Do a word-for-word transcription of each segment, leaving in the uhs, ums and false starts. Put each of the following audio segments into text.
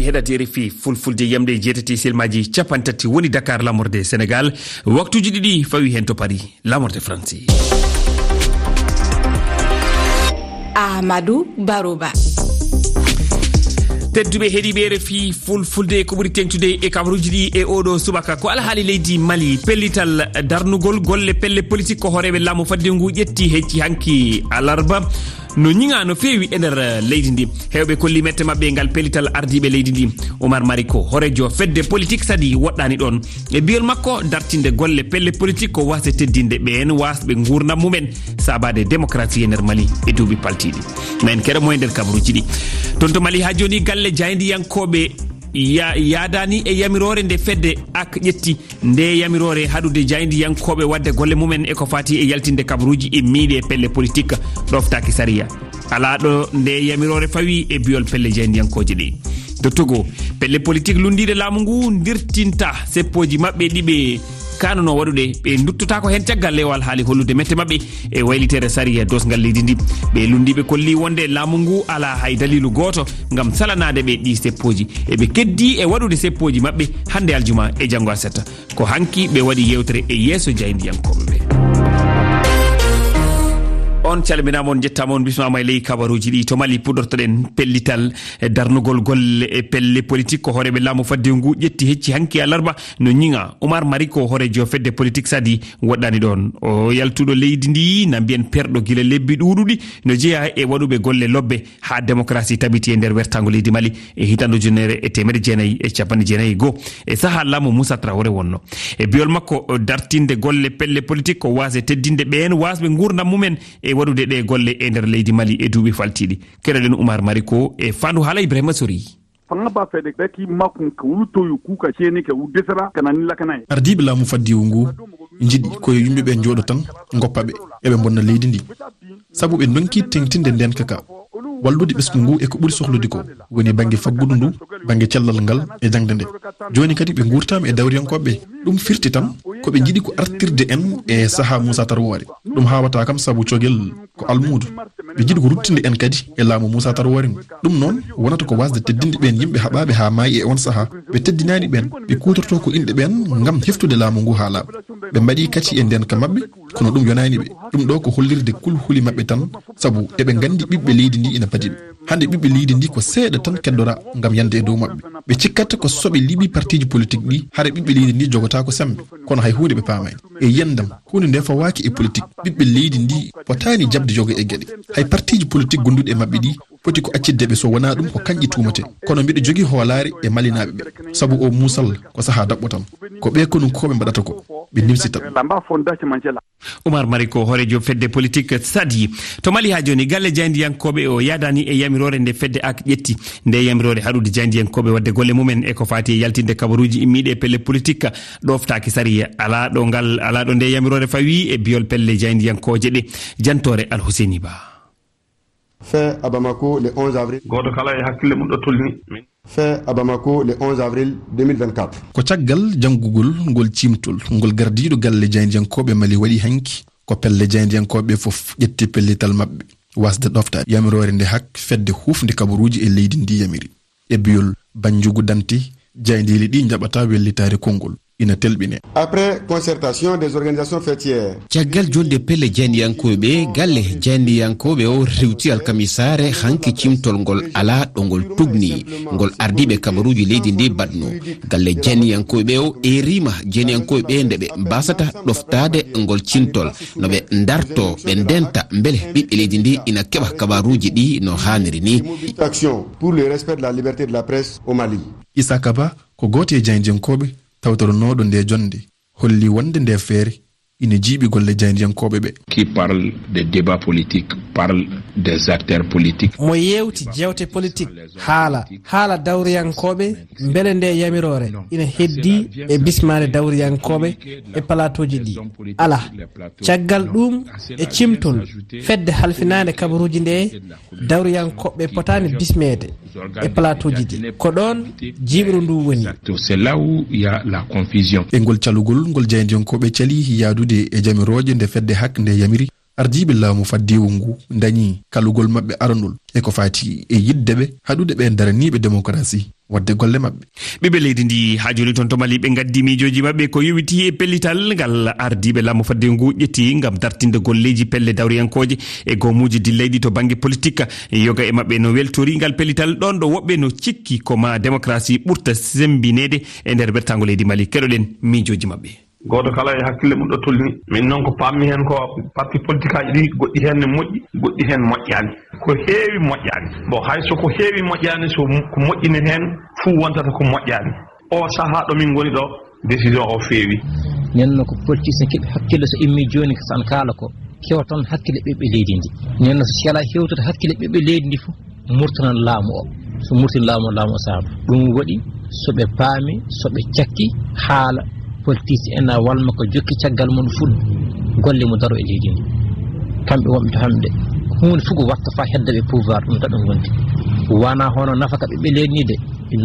Heɗaade R F I Fulfulde, yamde e jeetati silmaaji capanɗe tati woni Dakar, laamorde Senegaal. Waktuuji ɗiɗi fawi heen to Paris, laamorde Faransi. Amadou Baroba. Tedduɓe heɗiiɓe R F I Fulfulde, ko ɓuri teeŋtude e kabaruuji ɗi e oɗo subaka ko alhaali leydi Mali. Pellital darnugol golle pelle politik ko hooreeɓe laamu fadde ngu ƴetti hecci hanki alarba. No ñiŋa no feewi e nder leydi ndi. Heewɓe kolli mette maɓɓe e ngal pellital ardiiɓe leydi ndi. Oumar Mariko, hooreejo fedde politik Sadi, woɗɗaani ɗoon. E biyol makko, dartinde golle pelle politik ko waasde teddinde ɓeen waasɓe nguurndam mumen, saabaade démocratie e nder Mali e duuɓi paltiiɗi. Ma en keɗo mo e nder kabaruuji ɗi. Toon to Mali haa jooni, galle jaayndiyankooɓe ya-, yaadaani e yamiroore nde fedde ak ƴetti. Nde yamiroore haɗude jaayndiyankooɓe waɗde golle mumen e ko faati e yaltinde kabaruuji e miiɗe pelle politik ɗoftaaki sariya. Alaa ɗo nde yamiroore fawi e biyol pelle jaayndiyankooje ɗe. To Togo, pelle politik lunndiiɗe laamu ngu ndirtinta seppooji maɓɓe ɗi ɓe kaanunoo waɗude. Ɓe nduttotaako heen caggal lewal haali hollude mette maɓɓe e waylitere sariya doosngal leydi ndi. Ɓe lunndiiɓe kolli wonde laamu ngu alaa hay daliilu gooto ngam salanaade ɓe ɗi seppooji. Eɓe keddii e waɗude seppooji maɓɓe hannde aljuma e janngo aset. Ko hanki ɓe waɗi yeewtere e yeeso jaayndiyankooɓe ɓe. On calminaama, on njettaama, on bismaama e ley kabaruuji ɗi. To Mali puɗortoɗen pellital e darnugol golle e pelle politik ko hooreeɓe laamu fadde ngu ƴetti hecci hanki alarba no ñiŋa. Oumar Mariko, hooreejo fedde politik Sadi, woɗɗaani ɗoon. O yaltuɗo leydi ndi, na mbiyen perɗo gila lebbi ɗuuɗuɗi, no jeyaa e waɗuɓe golle lobbe haa démocratie tabiti e nder wertaango leydi Mali e hitaande ujunere e teemedde jeenayi e capanɗe jeenayi e goo, e sahaa laamu Moussa Traoré wonno. E biyol makko, dartinde golle pelle politik ko waasde teddinde ɓeen waasɓe nguurndam mumen e waɗude ɗe golle e nder leydi Mali e duuɓi faltiiɗi. Keɗoɗen Oumar Mariko e faandu haala Ibrahima Sori. Fanga ba fede beti makun ka wulu toyu kuka ceni ka wulu desara kana ni lakana ye. Ardiiɓe laamu faddiwu ngu njiɗi ko yo yimɓe ɓe njooɗo tan, ngoppa ɓe, eɓe mbonna leydi ndi. Sabu ɓe ndonki teŋtinde ndeenka ka, wallude ɓesngu ngu e ko ɓuri sohlude ko woni bannge faggudu ndu, bannge cellal ngal e jaŋde nde. Jooni kadi ɓe nguurtaama e dawriyankooɓe ɓe. Ɗum firti tan ko ɓe njiɗi ko artirde en e sahaa Muusa Tarwoore. Ɗum haawataa kam sabu cogel ko almuudo. Ɓe njiɗi ko ruttinde en kadi e laamu Muusa Tarwoore ngu. Ɗum noon wonata ko waasde teddinde ɓeen yimɓe haɓaaɓe haa maayi e oon sahaa. Ɓe teddinaani ɓeen, ɓe kuutortoo ko inɗe ɓeen ngam heftude laamu ngu haa laaɓa. Ɓe mbaɗi kati e ndeenka maɓɓe, kono ɗum yonaani ɓe. Ɗum ɗoo ko hollirde kulhuli maɓɓe tan, sabu eɓe nganndi ɓiɓɓe leydi ndi ina padi ɓe. Hannde ɓiɓɓe leydi ndi ko seeɗa tan keddora ngam yande e dow maɓɓe. Ɓe cikkata ko so ɓe liɓi partiiji politik ɗi, hara ɓiɓɓe leydi ndi jogotaako semmbe. Kono hay huunde ɓe paamaani. E yiyannde am, huunde nde fawaaki e politik. Ɓiɓɓe leydi ndi potaani jaɓde yoga e geɗe. Hay partiiji politik gonduɗi e maɓɓe ɗi poti ko accitde ɓe, so wonaa ɗum ko kañƴi tuumatee. Kono mbiɗo jogii hoolaare e malinaaɓe ɓe, sabu oo muusal ko sahaa daɓɓo tan. Ko ɓe konunkooɓe mbaɗata ko, ɓe nimsita ɗum. Oumar Mariko, hooreejo fedde politik Sadi. To Mali haa jooni, galle jaayndiyankooɓe o yaadaani e yamiroore nde fedde ak ƴetti. Nde yamiroore haɗude jaayndiyankooɓe waɗde golle mumen e ko faati e yaltinde kabaruuji immiiɗi e pelle politik ɗoftaaki sariya. Alaa ɗo ngal, alaa ɗo nde yamiroore fawi e biyol pelle jaayndiyankooje ɗe. Jantoore Alhuseyni Ba. Fait à Bamako le onze avril. Gooto kala e hakkille mum ɗo tolni. Fait à Bamako le onze avril deux mille vingt-quatre. Ko caggal janngugol ngol ciimtol ngol gardiiɗo galle jaayndiyankooɓe Mali waɗi hanki, ko pelle jaayndiyankooɓe fof ƴetti pellital maɓɓe waasde ɗoftaade yamiroore nde hak fedde huufnde kabaruuji e leydi ndi yamiri. E biyol Bannjugu Danti, jaayndeeli ɗi njaɓata wellitaare konngol ina telɓine. Après concertation des organisations faîtières. Caggal jonnde pelle jaayndiyankooɓe, galle jaayndiyankooɓe o rewti alkamisaare hanki cimtol ngol alaa ɗo ngol tugni, ngol ardiiɓe kabaruuji leydi ndi baɗno. Galle jaayndiyankooɓe o eeriima jaayndiyankooɓe nde ɓe mbasata ɗoftaade ngol cimtol, no ɓe ndarto, ɓe ndenta mbele ɓiɓɓe leydi ndi ina keɓa kabaruuji ɗi no haaniri ni. Action pour le respect de la liberté de la presse au Mali. Isaka Ba ko gooto e jaayndiyankooɓe tawtoronooɗo nde jonnde, holli wonde nde feere ina jiiɓi golle jaayndiyankooɓe ɓe. Qui parle des débats politiques, parle des acteurs politiques. Mo yeewti jeewte politik, haala, haala dawriyankooɓe, mbele nde yamiroore ina heddii e bismaade dawriyankooɓe e palaatooji ɗi? Alaa. Caggal ɗuum, e cimtol, fedde halfinaande kabaruuji nde, dawriyankooɓe potaani bismeede e palaatooji ɗi. Ko ɗoon jiiɓru ndu woni. C'est là où il y a la confusion. E ngol calugol ngol jaayndiyankooɓe cali yahdude e jamirooje nde fedde hak nde yamiri, ardiiɓe laamu faddewu ngu ndañi kalugol maɓɓe aranol e ko faati e yiɗde ɓe haɗude ɓeen daraniiɓe demokarasi. waɗde golle maɓɓe. Ɓiɓɓe leydi ndi haa jooni toon to Mali, ɓe ngaddi miijooji maɓɓe ko yowitii e pellital ngal ardiiɓe laamu fadde ngu ƴetti ngam dartinde golleeji pelle dawriyankooje e goomuuji dillayɗi to bannge politik. Yoga e maɓɓe no weltori ngal pellital, ɗoon ɗo woɓɓe no cikki ko ma démocratie ɓurta sembineede e nder wertaango leydi Mali. Keɗoɗen miijooji maɓɓe. Gooto kala e hakkille mum ɗo tolni. Min noon ko paammi heen ko parti politique aji ɗi, goɗɗi heen ne moƴƴi, goɗɗi heen moƴƴaani. Ko heewi moƴƴaani. Bon, hay so ko heewi moƴƴaani, so ko moƴƴini heen fuu wontata ko moƴƴaani. O sahaa ɗo min ngoni ɗo, décision o feewi. Nden no ko politicien keɓi hakkille so immi jooni ko san kaala ko kewa toon hakkille ɓiɓɓe leydi ndi. Nden no so sela hewtude hakkille ɓiɓɓe leydi ndi fof, murtanan laamu o. So murtin laamu o, laamu o saama. Ɗum waɗi so ɓe paami, so ɓe cakki haala politicien en a walma ko jokki caggal mum fuɗ golle mo daro e leydi ndi. Kamɓe wonɓe to hannde, huunde fof ko watta fa hedda ɓe pouvoir, ɗum taɓe ngondi. Wona hono nafaka ɓiɓɓe leydi ndi de,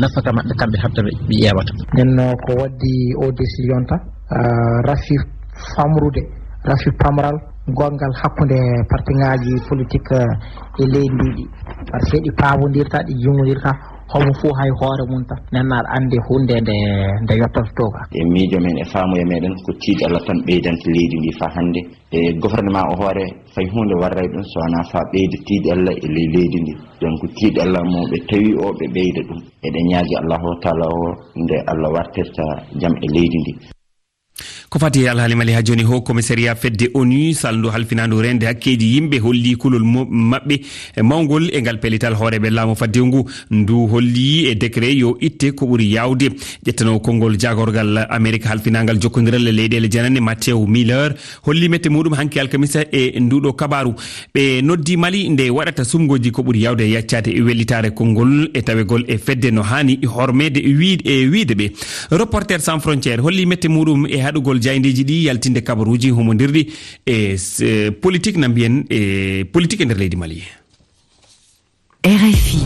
nafaka maɓɓe kamɓe hatta ɓe ɓe ƴeewata. Nden no ko waddi o décision ta, ah, rafi famrude, rafi pamral gongal hakkunde partiŋaaji politik, eh, e leydi ndi ɗi. Par ce que ɗi paabondirta, ɗi jumondirta, homo fof hay hoore mum tan. Nden aɗa anndi huunde nde, nde yottoto to ga. E miijo men, e faamuya meɗen, ko tiiɗalla tan ɓeydanta leydi ndi faa hannde. E gouvernement o hoore, fay huunde warray ɗum so wonaa faa ɓeyda tiiɗalla e ley leydi ndi. Donc, tiiɗalla mo ɓe tawi o, ɓe ɓeyda ɗum. Eɗen ñaagi Allahu Taala o, nde Allah wartirta jam e leydi ndi. Ko fati e alhaali Mali haa jooni, Haut Commissariat fedde onu salndu halfinaandu reende hakkeeji yimɓe holli kulol mo-, maɓɓe mawngol e ngal pellital hooreeɓe laamu faddewu ngu. Ndu holli e décret yo itte ko ɓuri yaawde. Ƴettanoowo konngol jaagorgal Amerik halfinaangal jokkondiral e leyɗeele janane, Matthew Miller, holli mette muɗum hanki alkamisa e nduɗo kabaru. Ɓe noddi Mali nde waɗata sumgoji ko ɓuri yawde e yaccaade e wellitaare konngol e tawegol e fedde no haani hormeede e wiide, e wiide ɓe. Reporter sans frontière holli mette muɗum e haɗugol jayndeeji ɗi yaltinde kabaruuji humondirɗi e s-, e politique na mbiyen e politique e nder leydi Mali. R F I.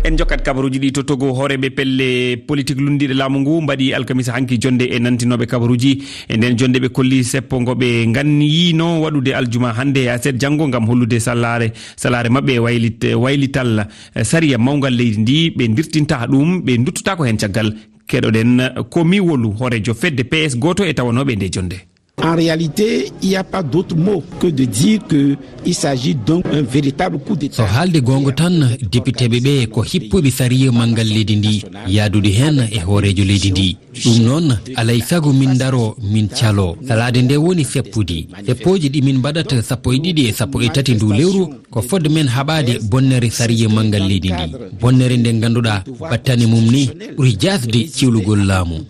En jokkat kabaruuji ɗi to Togo. Hooreeɓe pelle politik lunndiiɗe laamu ngu mbaɗi alkamisa hanki jonnde e nantinooɓe kabaruuji. E nden jonnde ɓe kolli seppo ngo ɓe nganniyino waɗude aljuma hannde e aset janngo ngam hollude salaare, salaare maɓɓe e waylit-, waylital, eh, sariya mawngal leydi ndi. Ɓe ndirtinta ɗum, ɓe nduttuta ko heen caggal. Keɗoɗen ko mi wolu hooreejo fedde P S gooto e tawanooɓe nde jonnde. En réalité, il n'y a pas d'autre mot que de dire que il s'agit d'un, un véritable coup d'État. So haalde goonga tan, depiteeɓe ɓe ko hippuɓe sariya manngal leydi ndi, yaadude heen e hooreejo leydi ndi. Ɗum noon, alay sago min ndaro, min calo. Salaade nde woni seppude. Seppooji ɗi min mbaɗata sappo e ɗiɗi e sappo e tati ndu lewru, ko fodde men haɓaade bonnere sariya manngal leydi ndi. Bonnere nde ngannduɗaa battane mum ni ɓuri jaasde ciwlugol laamu.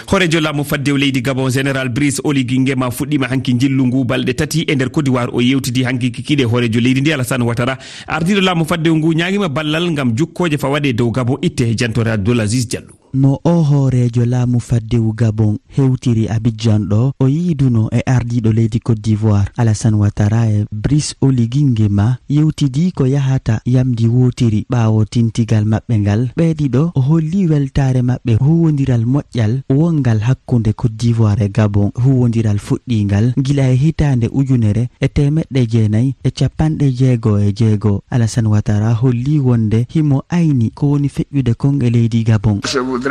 Hooreejo laamu faddewu leydi Gabon, Général Brice Oligui Nguema, fuɗɗiima hanki njillu ngu balɗe tati e nder Côte d'Ivoire. O yewtidi hanki kikiiɗe hooreejo leydi ndi, Alassane Ouattara. Ardiiɗo laamu faddewu ngu ñaagiima ballal ngam jukkooje fawaade e dow Gabon itte. Jantoore Abdoul Aziz Diallo. No o hooreejo laamu faddewu Gabon hewtiri Abidjan ɗo, o yiiduno e ardiiɗo leydi Côte d'Ivoire, Alassane Ouattara, e Brice Oligui Nguema yewtidi ko yahata yamndi wootiri ɓaawo tintigal maɓɓe ngal. Ɓee ɗiɗo o holli weltaare maɓɓe huuwondiral moƴƴal wonngal hakkunde Côte d'Ivoire e Gabon, huuwondiral fuɗɗiingal gila e hitaande ujunere e teemeɗɗe jeenayi e cappanɗe jeego e jeego. Alassane Ouattara holli wonde himo ayni ko woni feƴƴude kon e leydi Gabon. Je voudrais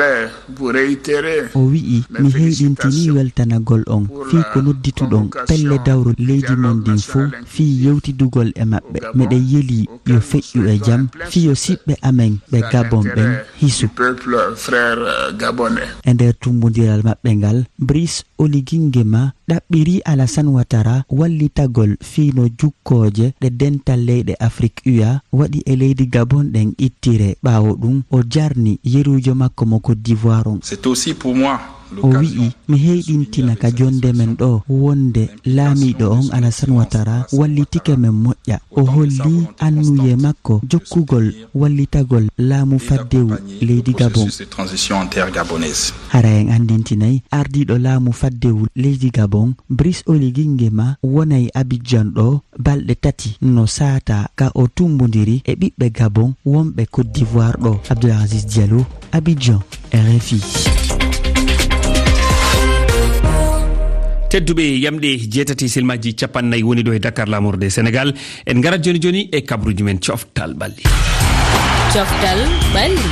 vous réitérer. O wi'i, "Mi heyɗintini weltanagol on fii ko noddituɗon pelle dawro leydi mon ndin fow fii yewtidugol e maɓɓe. Miɗen yelii yo feƴƴu e jam fii yo siɓɓe amen ɓe Gabon ɓen hisu." E nder tummbondiral maɓɓe ngal, Brice Oligui Nguema ɗaɓɓirii Alassane Ouattara wallitagol fii no jukkooje ɗe Dental Leyɗe Afrik, U A, waɗi e leydi Gabon ɗen ittire. Ɓaawo ɗum, o jarni yeruujo makko mo Côte d'Ivoire on. C'est aussi pour moi l'occasion. O wi'i, "Mi heyɗintina ka jonnde men ɗo wonde laamiiɗo on, Alassane Ouattara, wallitike men moƴƴa." O holli anniyee makko jokkugol wallitagol laamu faddewu leydi Gabon. Hara en anndintinay, ardiiɗo laamu faddewu leydi Gabon, Brice Oligui Nguema, wonay Abidjan ɗo balɗe tati no saataa ka o tummbondiri e ɓiɓɓe Gabon wonɓe Côte d'Ivoire ɗo. Abdoul Aziz Diallo, Abidjan, R F I. Tedduɓe, yamɗe jeetati silmaaji cappannayi woni ɗo e Dakar, laamorde Senegal. En ngarat jooni jooni e kabaruuji men coftal ɓalli. Coftal ɓalli.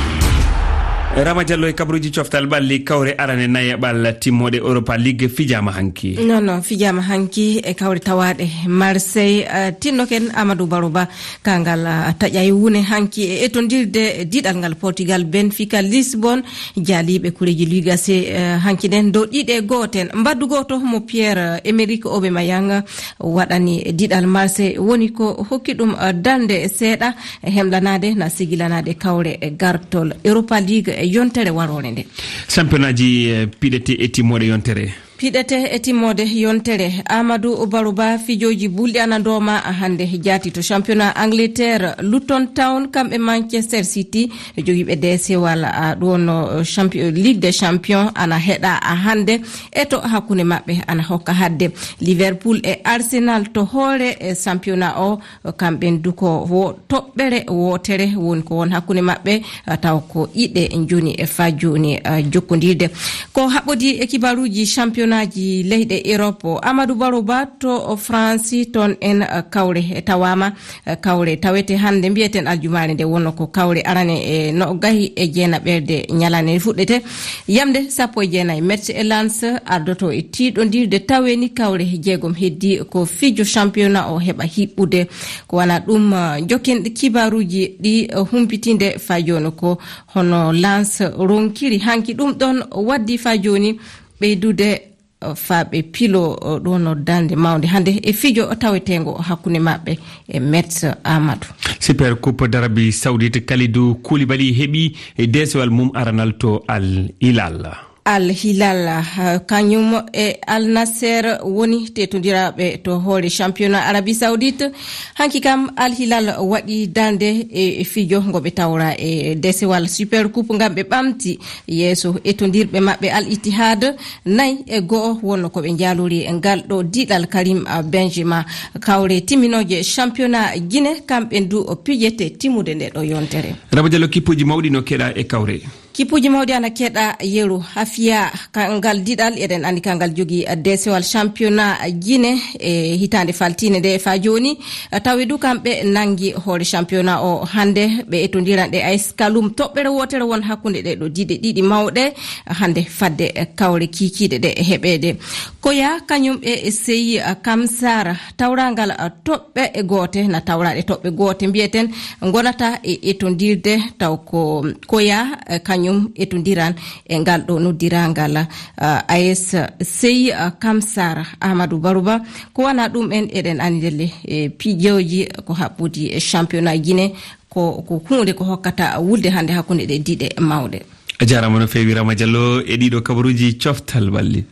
Rama Diallo e kabaruuji coftal ɓalli, kawre arane nayaɓal timmooɗe Europa League fijaama hanki. Non, non, fijaama hanki e kawre tawaaɗe Marseille, eh, tinnoken Amadou Baro Ba, kangal, eh, taƴay wune hanki e etondirde diɗal ngal Portugal, Benfica Lisbon, jaaliiɓe kureeji Liga C, eh, hanki nden dow ɗiɗe gooten. Mbaddu gooto mo Pierre, eh, Emerick Aubameyang waɗani diɗal Marseille woni ko hokki ɗum, eh, darnde seeɗa hemlanaade na sigilanaade kawre e gartol Europa League e yontere waroore nde. Sampionaaji, eh, piɗete e timmoode yontere. Piɗete e timmoode yontere. Amadou Baro Ba, fijooji bulɗi ana ndooma hannde jaati to championnat Angleterre. Luton Town, kamɓe Manchester City, jogiiɓe deesewal, a, ɗo no champion, Ligue des Champions ana heɗa a hannde. E to hakkunde maɓɓe ana hokka hadde. Liverpool e Arsenal to hoore e championnat o, kamɓen du ko wo-, toɓɓere wootere woni ko won hakkunde maɓɓe, a, taw ko ɗiɗe njoni e fa jooni, a, jokkondirde. Ko haɓɓodi e kibaruuji championnatji leyɗe Europe, Amadou Baro Ba to France, toon en, a, kawre tawaama. Eh, kawre tawete hannde, mbiyeten aljumaare nde wonno ko kawre arane e nogayi e jeenaɓerde ñalande nde fuɗɗete. Yamde sappo e jeenayi, Metz e Lens ardoto e tiiɗondirde, taweni kawre jeegom heddi ko fijo championnat o heɓa hiɓɓude. Ko wana ɗum, eh, jokken kibaruuji ɗi, eh, humpitinde fa jooni ko hono Lens ronkiri hanki ɗum ɗon waddi fa jooni ɓeydude faaɓe pilo, o, ɗo no darnde mawnde hannde e fijo taweteengo hakkunde maɓɓe e Metz Amadou. Super Coupe d'Arabie Saoudite, Kalidou Koulibaly heɓi e deesewal mum aranal to Al Hilal. Al Hilal, ah, kañum e Al Nasser woni tetondiraaɓe to hoore championnat Arabie Saoudite. Hanki kam Al Hilal waɗi darnde e, e fijo ngo ɓe tawra e deesewal Super Coupe ngam ɓe ɓamti yeeso etondirɓe maɓɓe Al Ittihad. Nayi e go'o wonno ko ɓe njaalori e ngal ɗo diɗal Karim, ah, Benzema. Kawre timminooje championnat Guinée, kamɓe du o pijete timmude nde ɗo yontere. Raba Diallo, kippuuji mawɗi no keɗa e kawre. Kippuuji mawɗi ana keɗa yeru. Hafia, ka-, ngal diɗal eɗen andi kangal jogi, ah, deesewal championnat Guinée e hitaande faltiinde nde fa jooni. Tawi du kamɓe nangi hoore championnat o hannde, ɓe etondiran ɗe A S Kaloum. Toɓɓere wootere won hakkunde ɗe ɗo diɗe ɗiɗi mawɗe hannde fadde kawre kiikiiɗe ɗe heɓeede. Koya kañum e Sey Kamsar, tawrangal toɓɓe goote, na tawraɗe toɓɓe goote mbiyeten, ngonata e etondirde taw ko Koya kañum etondiran e ngal ɗo noddirangal, ah, A S Sey, ah, Kamsar Amadou Baruba. Ko wana ɗum en eɗen anndele, e piijooji ko haɓɓudi e championnat Guinée, ko, ko huunde ko hokkata wulde hannde hakkunde ɗe diɗe mawɗe. A jaaraama no feewi Rama Diallo e ɗiɗo kabaruuji coftal ɓalli.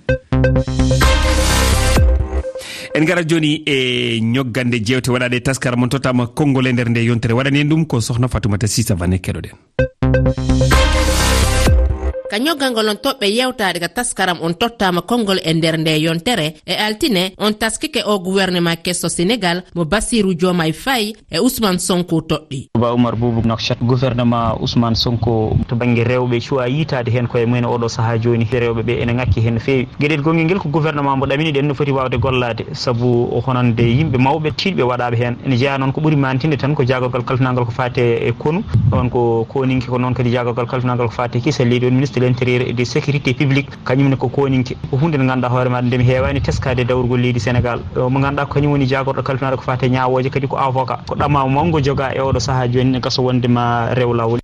En ngarat jooni e ñoggande jeewte waɗaɗe taskara mon tottama konngol e nder nde yontere. Waɗani en ɗum ko Sohna Fatoumata Sisa Vane, keɗoɗen. Ka ñoggangol on toɓɓe yewtaade ka taskaram on tottama konngol e nder nde yontere, e altine on taskike o gouvernement kesso Sénégal mo Bassirou Diomaye Faye e Ousmane Sonko toɗɗi. Ba Oumar Boubou Nokchat, gouvernement Ousmane Sonko to bannge rewɓe cuwa yiitaade heen koye mumen oɗo sahaa jooni. Rewɓe ɓe ene ŋakki heen no feewi. Geɗel gonngel ngel ko gouvernement mo ɗamini ɗen no foti waawde gollaade, sabu o honande yimɓe mawɓe tiiɗɓe waɗaaɓe heen. Ene jeyaa noon ko ɓuri maantinde tan ko jaagorgal kalfinaangal ko faati e konu, ɗoon ko koninke, ko noon kadi jaagorgal kalfinaangal ko faati e kisal leydi, on ministre de l'intérieur et de sécurité publique, kañum ne ko koninke. Ko huunde nde ngannduɗaa hoore maaɗa nde mi heewaani teskaade e dawrugol leydi Sénégal. O mo ngannduɗaa ko kañum woni jaagorɗo kalfinaaɗo ko faati e ñaawooje, kadi ko avocat. Ko ɗama mawgo jogaa e oɗo sahaa jooni, ne gasa wonde ma rew laawol.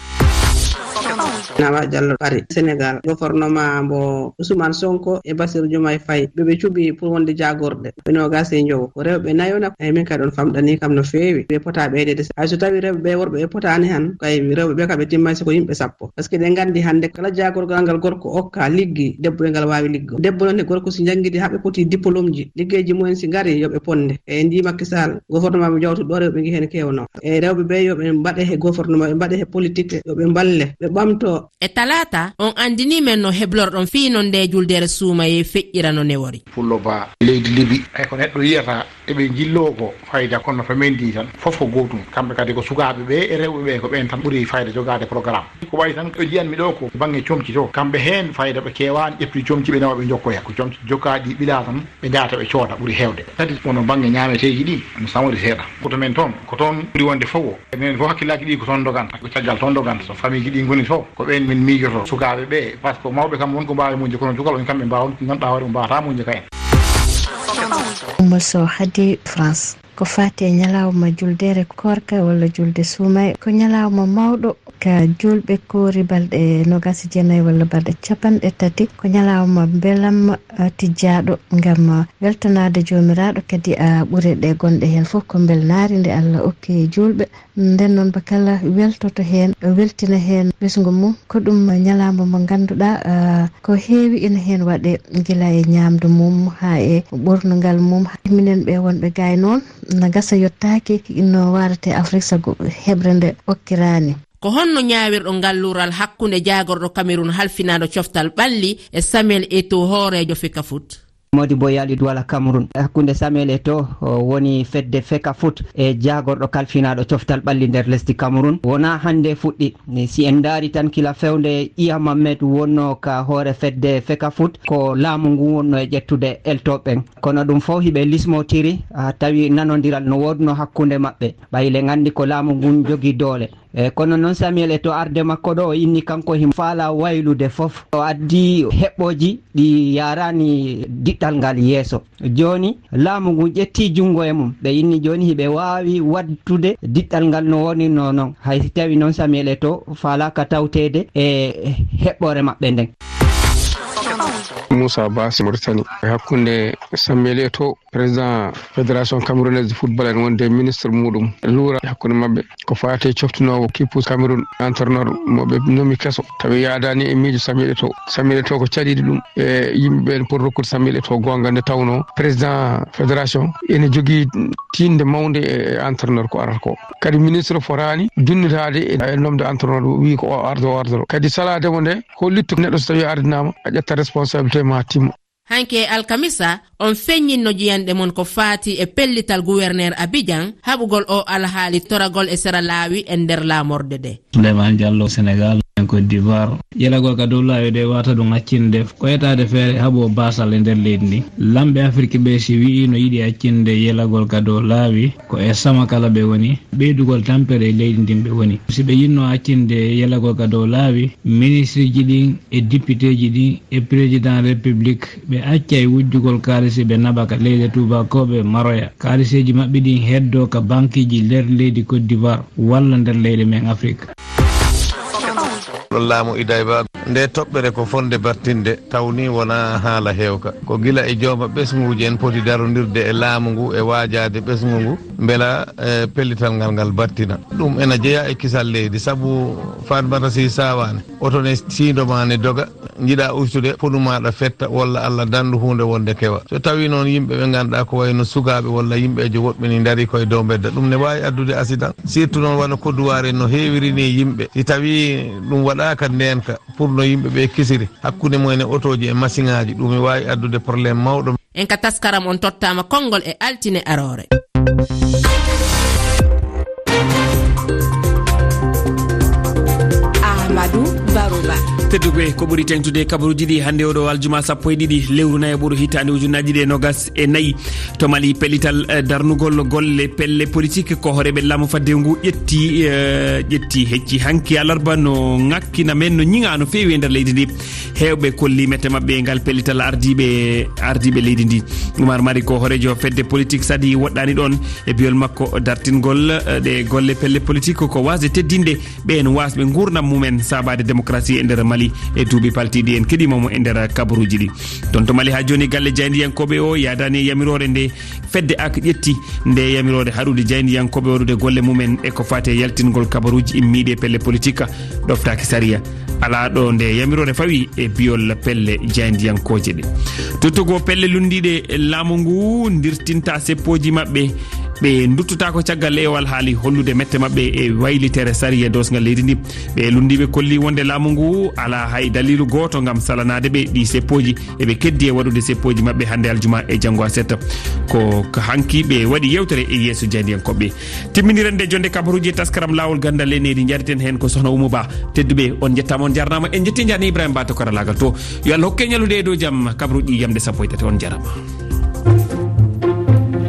Nawa Diallo ari Sénégal, gouvernement mbo Ousmane Sonko e Bassirou Diomaye Faye, ɓe ɓe cuɓi pour wonde jaagorɗe, ɓe noogas e njowo. Ko rewɓe nayo na, eyi, min kadi on famɗani kam no feewi. Ɓe pota ɓeydeede. Hay so tawi rewɓe ɓe, worɓe ɓe potaani han, kay rewɓe ɓe kam ɓe timmay si ko yimɓe sappo. Par ce que ɗen nganndi hannde kala jaagorgal ngal gorko okka liggi, debbo e ngal waawi liggo. Debbo noon e gorko si njanngidi haa ɓe poti diplôme ji, liggeeji mumen si ngari yo ɓe ponde. E ndi Macky Sall, gouvernement mo jawtuɗo ɗo rewɓe ngi heen kewno. E rewɓe ɓe yo ɓe mbaɗe he gouvernement, ɓe mbaɗe he politique, yo ɓe mballe, ɓe ɓamto. E talaata, on anndini men no heblorɗon fii non nde juldere suumayee feƴƴira no newori. Pullo Ba, leydi Libi, hay ko neɗɗo yiyata. Eɓe njilloo ko fayda, kono to men ndi tan, fof ko gootum. Kamɓe kadi ko sukaaɓe ɓe e rewɓe ɓe, ko ɓeen tan ɓuri fayda jogaade programme. Ko wayi tan, ɓe njiyanmi ɗo ko bannge comci to, kamɓe heen fayda ɓe keewaani, ƴetti comci ɓe nawa ɓe njokkoya. Ko comci jokkaaɗi ɓilaa tan, ɓe njaata ɓe cooda ɓuri heewde. Kadi kono bannge ñaameteeji ɗi, no samori seeɗa. Koto men toon, ko toon ɓuri wonde fof o. Enen fof hakkillaji ɗi ko toon doganta, ko caggal toon doganta. So famille ji ɗi ngoni to, ko ɓeen min miijoto sukaaɓe ɓe, par ce que mawɓe kam won ko mbaawi muñde, kono cukalɓe on kamɓe mbaawa, ganduɗa hoore mum mbawata muñde ka en. Oumou Sow, hadi France. Ko faati e ñalawma juldeere koorka walla julde suumay, ko ñalawma mawɗo ka julɓe koori balɗe noogaas e jeenayi walla balɗe capanɗe tati. Ko ñalawma mbelamma, ah, tijjaaɗo ngam, ah, weltanaade Joomiraaɗo, kadi, ah, ɓure ɗe gonɗe heen fof ko mbelnaari nde Allah okki julɓe. Nden noon, ba kala weltoto heen, weltina heen ɓesngu mum. Ko ɗum ñalawma mo ngannduɗaa, ah, ko heewi ina heen waɗe, gila e ñaamdu mum haa e ɓornungal mum. Minen ɓe wonɓe gaay noon, na gasa yottaaki no waarate Afrik sago heɓre nde okkiraani. Ko honno ñaawirɗo ngal luural hakkunde jaagorɗo Cameroun halfinaaɗo coftal ɓalli e Samuel Eto'o, hooreejo Fecafoot? Modibo Yali Douala Cameroun. Hakkunde Samuel Eto'o, o woni fedde Fecafoot, e jaagorɗo kalfinaaɗo coftal ɓalli nder lesdi Cameroun, wonaa hannde fuɗɗi. Ni si en ndaari tan, kila fewde Iya Mamet wonno ka hoore fedde Fecafoot, ko laamu ngu wonno e ƴettude eltooɓe ɓen. Kono ɗum fof hiɓe lismotiri, ah, tawi nanondiral no woodno hakkunde maɓɓe. Ɓay le nganndi ko laamu ngun jogii doole. E kono noon Samuel Eto'o, arde makko ɗo, o inni kanko himo faala waylude fof. O addi heɓɓooji ɗi yaarani diɗɗal ngal yeeso. Jooni, laamu ngun ƴetti junngo e mum. Ɓe inni jooni hiɓe waawi waɗtude diɗɗal ngal no wonirno noon, hay si tawi noon Samuel Eto'o faalaaka tawteede e heɓɓoore maɓɓe nden. Moussa Bass, Mauritanie. E hakkunde Samuel Eto'o, président fédération camerounaise de football, en wonde ministre muɗum luura hakkunde maɓɓe ko faati coftinoowo kippu Cameroun, entraîneur mo ɓe nomi keso, tawi yaadaani e miijo Samuel Eto'o. Samuel Eto'o ko caɗiiɗo ɗum e yimɓe ɓeen pour rokkude Samuel Eto'o goonga, nde tawnoo président fédération ene jogii tiinde mawnde e entraîneur ko arata ko. Kadi ministre fotaani dunnitaade e nomde entraîneur, wii ko o ardo, o ardo. Kadi salaade mo nde, hollitto neɗɗo so tawi ardinaama, a ƴetta responsabilité ma timma. Hanki e alkamisa, on feññinno jiyanɗe mon ko faati e pellital gouverneur Abidjan, haɓugol o alhaali toragol e sera laawi e nder laamorde de. Souleymane Diallo, Sénégal, en Côte d'Ivoire. Yelagol ka dow laawi de wata ɗum accinde ko etaade feere haɓo baasal e nder leydi ndi. Lamɓe Afirki ɓe si wi'i no yiɗi accinde yelagol ka dow laawi, ko e sama kala ɓe woni, ɓeydugol tampere e leydi ndin ɓe woni. Si ɓe yinno accinde yelagol ka dow laawi, ministriji ɗin e dipiteji ɗin e président république ɓe accay wujjugol kaalisi ɓe naɓa ka leyɗe tuubakooɓe maroya. Kaaliseeji maɓɓe ɗin heddo ka bankiji nder leydi Côte d'Ivoire walla nder leyɗe men Afirka. Ɗo laamu Idayba, nde toɓɓere ko fonde battinde, tawni wona haala heewka. Ko gila e jooma ɓesnguuji en poti darondirde e laamu ngu e waajaade ɓesngu ngu, mbela, eh, pellital ngal ngal battina. Ɗum ena jeyaa e kisal leydi, sabu Fatmata Sy Sawaane, oto ne siindo ma ne doga, njiɗa ustude, fonu maɗa fetta, walla Allah dandu huunde wonde kewa. So tawi noon yimɓe ɓe ngannduɗaa ko wayno sukaaɓe walla yimɓeejo woɗɓe ni ndarii koye dow mbedda, ɗum ne waawi addude accident. Surtout noon wano kodduwaare no heewiri ni yimɓe. Si tawi ɗum waɗaaka ndeenka pour no yimɓe ɓe kisiri, hakkunde mumen e otooji e masiŋaaji, ɗum ne waawi addude problème mawɗo. En ka taskaram on tottaama konngol e altine aroore. Ahmadou Barouba. Tedduɓe, ko ɓuri teŋtude kabaruuji ɗi hannde oɗo aljuma sappo e ɗiɗi lewru nayaɓuru hitaande ujunnaaji ɗiɗi e noogas e nayi. To Mali, pellital, eh, darnugol golle pelle politique ko hooreeɓe laamu fadde ngu ƴetti, eh, ƴetti hecci hanki alarba no ŋakkina men, no ñiŋa no feewi e nder leydi ndi. Heewɓe kolli mette maɓɓe e ngal pellital ardiiɓe, ardiiɓe leydi ndi. Oumar Mari ko hooreejo fedde politique Sadi woɗɗaani ɗoon e biyol makko dartingol, eh, ɗe golle pelle politique ko waasde teddinde ɓeen waasɓe nguurndam mumen saabaade démocratie e nder Mali e duuɓi paltiiɗi. En keɗiima mo e nder kabaruuji ɗi. Toon to Mali haa jooni galle jaayndiyankooɓe o yaadaani e yamiroore nde fedde ak ƴetti, nde yamiroore haɗude jaayndiyankooɓe waɗude golle mumen e ko faati e yaltingol kabaruuji immiiɗi e pelle politique ɗoftaaki sariya. Alaa ɗo nde yamiroore fawi e biyol pelle jaayndiyankooje ɗe. Tottugo pelle lunndiiɗe laamu ngu ndirtinta seppooji maɓɓe Ɓe nduttutaa ko caggal lewal haali hollude mette maɓɓe e waylitere sariya doosngal leydi ndi. Ɓe lunndiiɓe kolli wonde laamu ngu alaa hay daliilu gooto ngam salanaade ɓe ɗi seppooji. Eɓe keddi e waɗude seppooji maɓɓe hannde aljuma e janngo aset. Ko hanki ɓe waɗi yewtere e yeeso jaayndiyankooɓe. Timminiren nde jonde kabaruuji e taskaram Laawol Ganndal e Nehdi, njareten heen ko Sohna Oumou Ba. Tedduɓe, on njettaama, on njarnaama. En njetti njaarni Ibrahima Ba to karalaagal to. Yo Allah hokke ñallude e dow jam, kabaruuji yamde sappo e tati, on njarama.